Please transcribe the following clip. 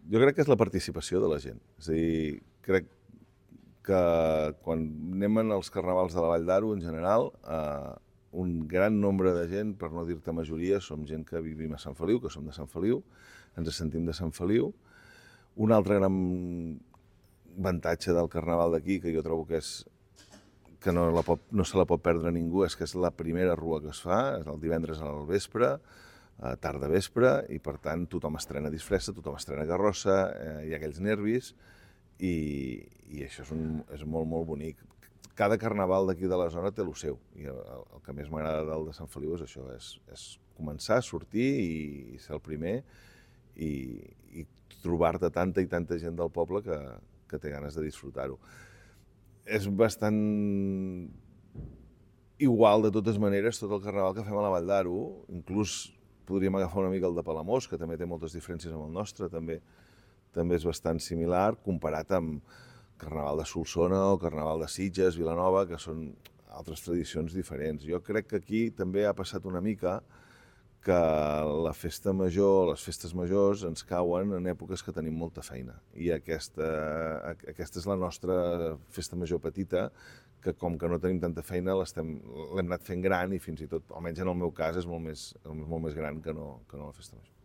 Jo crec que és la participació de la gent. És a dir, crec que quan anem als carnavals de la Vall d'Aro, en general, un gran nombre de gent, per no dir-te majoria, som gent que vivim a Sant Feliu, que som de Sant Feliu, ens sentim de Sant Feliu. Un altre gran avantatge del carnaval d'aquí, que jo trobo que és que no se la pot perdre ningú, és que és la primera rua que es fa, és el divendres al vespre, tarda vespre, i per tant tothom estrena disfressa, tothom estrena carrossa, hi ha aquells nervis, i això és molt, molt bonic. Cada carnaval d'aquí de la zona té el seu, i el que més m'agrada del de Sant Feliu és això, és començar a sortir i ser el primer, i trobar-te tanta i tanta gent del poble que té ganes de disfrutar-ho. És bastant igual, de totes maneres, tot el carnaval que fem a la Vall d'Aro. Inclús podríem agafar una mica el de Palamós, que també té moltes diferències amb el nostre, també és bastant similar, comparat amb Carnaval de Solsona o Carnaval de Sitges, Vilanova, que són altres tradicions diferents. Jo crec que aquí també ha passat una mica que la festa major, les festes majors, ens cauen en èpoques que tenim molta feina. I aquesta és la nostra festa major petita, que com que no tenim tanta feina l'hem anat fent gran, i fins i tot, almenys en el meu cas, és molt més gran que no la festa major.